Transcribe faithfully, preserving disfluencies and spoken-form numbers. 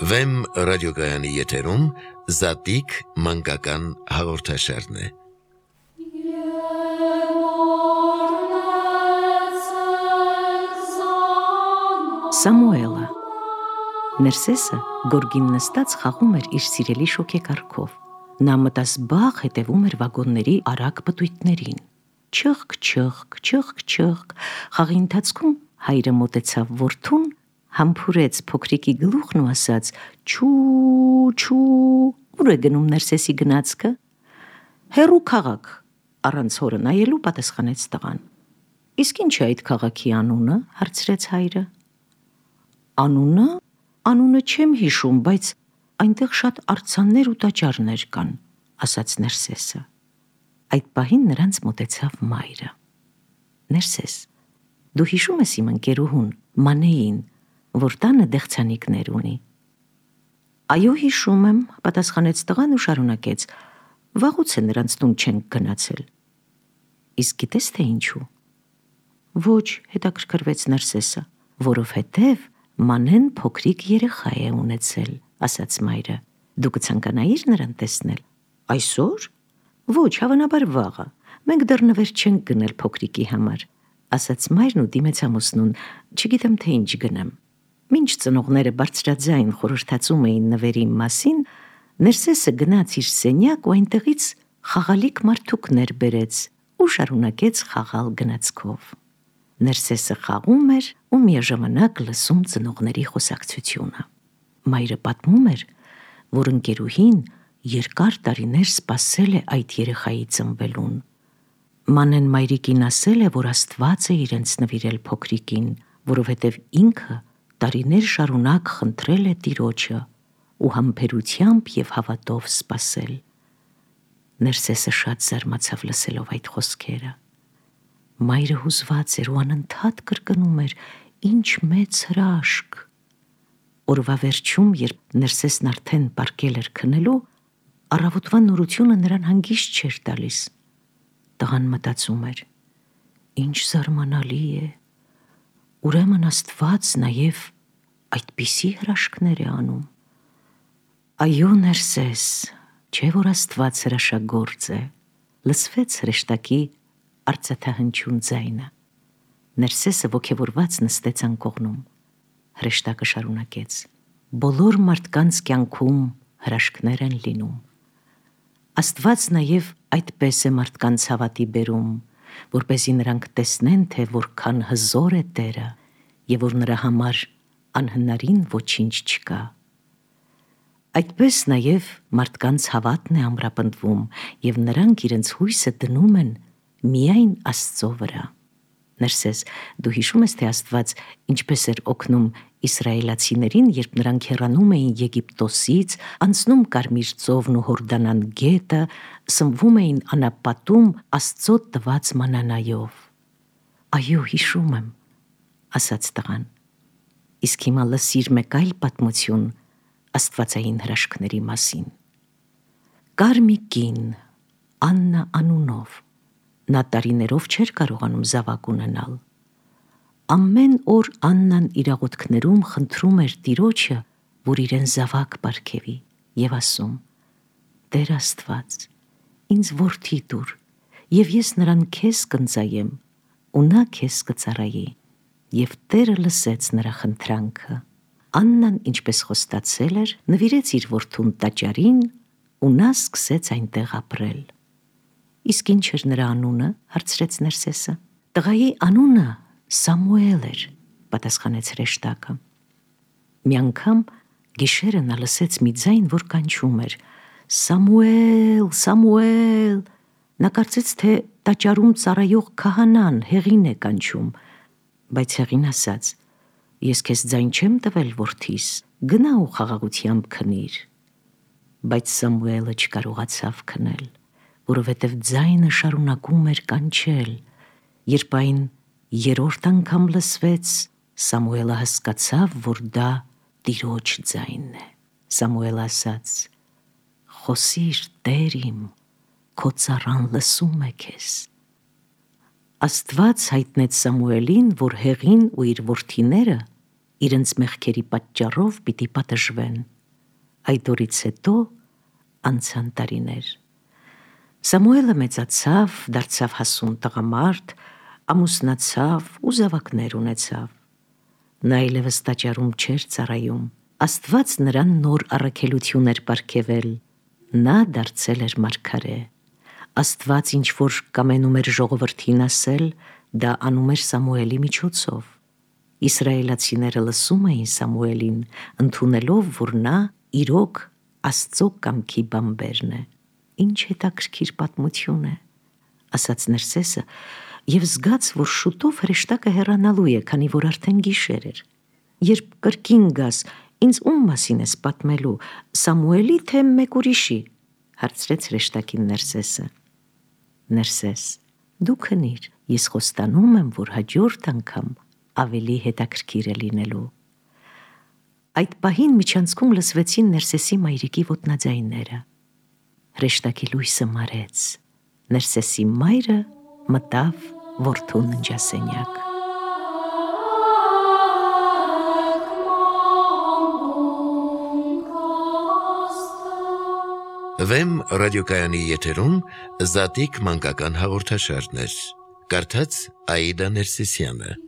Վեմ ռադիոգայանի եթերում Զատիկ մանկական հաղորդաշարն է։ Սամուելը Ներսեսը գորգին նստած խաղում էր իր սիրելի շոքեկառքով։ Նա մտասբաղ հետևում էր վագոնների արագ պտույտներին։ Չղկ, չղկ, չղկ, չղկ։ Խաղի ընթացքում հայրը մոտեցավ որդուն, համբուրեց փոքրիկի գլուխն ու ասաց. «Չու, չու, ուր է գնում Ներսեսի գնացքը»։ «Հեռու քաղաք», առանց հորը նայելու պատասխանեց տղան։ «Իսկ ինչ է այդ քաղաքի անունը»։ հարցրեց հայրը։ «Անունը, անունը չեմ հիշում, բայց այնտեղ շատ արձաններ ու տաճարներ կան», ասաց Ներսեսը։ Այդ պահին նրանց մոտեցավ մայրը։ «Ներսես, դու հիշում ես իմ ընկերուհուն Մանեին, որ տանը դեղցանիկներ ունի»։ «Այո, հիշում եմ», պատասխանեց տղան ու շարունակեց. «Վաղուց է նրանց տուն չենք գնացել»։ «Իսկ գիտես թե ինչու»։ «Ոչ», հետաքրքրվեց Ներսեսը, «որովհետև Մանեն փոքրիկ երեխա է ունեցել», ասաց մայրը։ «Դու կցանկանայիր նրան տեսնել»։ «Այսօր»։ «Ոչ, հավանաբար վաղը, մենք դեռ նվեր չենք գնել փոքրիկի համար», ասաց մայրն ու դիմեց ամուսնուն, «Չգիտեմ թե ինչ գնեմ»։ Մինչ ծնողները բարձրաձայն խորհրդածում էին նվերի մասին, Ներսեսը գնաց իր սենյակ ու այնտեղից խաղալիք մարդուկներ բերեց ու շարունակեց խաղալ գնացքով։ Ներսեսը խաղում էր ու միաժամանակ լսում ծնողների խոսակցությունը։ Մայրը պատմում էր, որ ընկերուհին երկար տարիներ սպասել է այդ երեխայի ծնվելուն։ Մանեն մայրիկին ասել է, որ Աստված է իրենց նվիրել փոքրիկին, որովհետև ինքը տարիներ շարունակ խնդրել է Տիրոջը ու համբերությամբ և հավատով սպասել։ Ներսեսը շատ զարմացավ լսելով այդ խոսքերը։ Մայրը հուզված էր ու անընդհատ կրկնում էր. «Ինչ մեծ հրաշք»։ Օրվա վերջում, երբ Ներսեսն արդեն պառկել էր քնելու, առավոտվա նորությունը նրան հանգիստ չէր տալիս։ Տղան մտածում էր. «Ինչ զարմանալի է, ուրեմն Աստված նաև այդպիսի հրաշքներ է անում»։ «Այո, Ներսես, չէ՞ որ Աստված հրաշագործ է», լսվեց հրեշտակի արծաթահնչյուն ձայնը։ Ներսեսը ոգևորված նստեց անկողնում։ Հրեշտակը շարունակեց. «Բոլոր մարդկանց կյանքում հրաշքներ են լինում։ Աստված նաև այդպես է մարդկանց հավատի բերում, որպեսզի նրանք տեսնեն, թե որքան հզոր է Տերը և որ նրա համար անհնարին ոչինչ չկա։ Այդպես նաև մարդկանց հավատն է ամրապնդվում, և նրանք իրենց հույսը դնում են միայն Աստծո վրա»։ Ներսես, դու հիշում ես, թե Աստված ինչպես էր օգնում իսրայելացիներին, երբ նրանք հեռանում էին Եգիպտոսից, անցնում Կարմիր ծովն ու Հորդանան գետը, սնվում էին անապատում Աստծո տված մանանայով։ «Այո, հիշում եմ», ասաց տղան։ «Իսկ հիմա լսիր մեկ այլ պատմություն աստվածային հրաշքների մասին։ Կար մի կին, Աննա անունով, նա տարիներով չէր կարողանում զավակ ունենալ։ Ամեն օր Աննան իր աղոթքներում խնդրում էր Տիրոջը, որ իրեն զավակ պարգևի, և ասում. «Տեր Աստված, ինձ որդի տուր, և ես նրան քեզ կընծայեմ, ու նա քեզ կծառայի»։ Եվ Տերը լսեց նրա խնդրանքը։ Աննան, ինչպես խոստացել էր, նվիրեց իր որդուն տաճարին, ու նա սկսեց այնտեղ ապրել։ «Իսկ ինչ էր նրա անունը»։ հարցրեց Ներսեսը։ «Տղայի անունը Սամուել էր», պատասխանեց հրեշտակը։ Մի անգամ գիշերը նա լսեց մի ձայն, որ կանչում էր. «Սամուել, Սամուել»։ Նա կարծեց, թե տաճարում ծառայող քահանան Հեղին է կանչում, բայց Հեղին ասաց. «Ես քեզ ձայն չեմ տվել, որդիս, գնա ու խաղաղությամբ քնիր»։ Բայց Սամուելը չկարողացավ քնել, որովհետև ձայնը շարունակում էր կանչել։ Երբ այն երրորդ անգամ լսվեց, Սամուելը հասկացավ, որ դա Տիրոջ ձայնն է։ Սամուելը ասաց. «Խոսիր, Տեր իմ, քո ծառան լսում է քեզ»։ Աստված հայտնեց Սամուելին, որ Հեղին ու իր որդիները իրենց մեղքերի պատճառով պիտի պատժվեն, Այդ օրից հետո անցան տարիներ։ Սամուելը մեծացավ, դարձավ հասուն տղամարդ, ամուսնացավ ու զավակներ ունեցավ։ Նա այլևս տաճարում չէր ծառայում։ Աստված նրան նոր առաքելություն էր պարգևել։ Նա դարձել էր մարգարե։ Աստված ինչ որ կամենում էր ժողովրդին ասել, դա անում էր Սամուելի միջոցով։ Իսրայելացիները լսում էին Սամուելին, ընդունելով, որ նա իրոք Աստծո կամքի բամբերն է։ Ինչ հետաքրքիր պատմություն է, ասաց Ներսեսը, և զգաց, որ շուտով հրեշտակը հեռանալու է, քանի որ արդեն գիշեր էր։ Երբ կրկին գաս, ինձ ում մասին ես պատմելու, Սամուելի թե մեկ ուրիշի, հարցրեց հրեշտակին Ներսեսը։ Ներսես, դու քնիր, ես խոստանում եմ, որ հաջորդ անգամ ավելի հետաքրքիր է լինելու։ Այդ պահին միջանցքում լսվեցին Ներսեսի մայրիկի ոտնաձայները։ Հրեշտակի լույսը մարեց։ Ներսեսի մայրը մտավ որդու ննջասենյակ։ Վեմ ռադիոկայանի եթերում Զատիկ մանկական հաղորդաշարներ։ Կարդաց Աիդա Ներսիսյանը։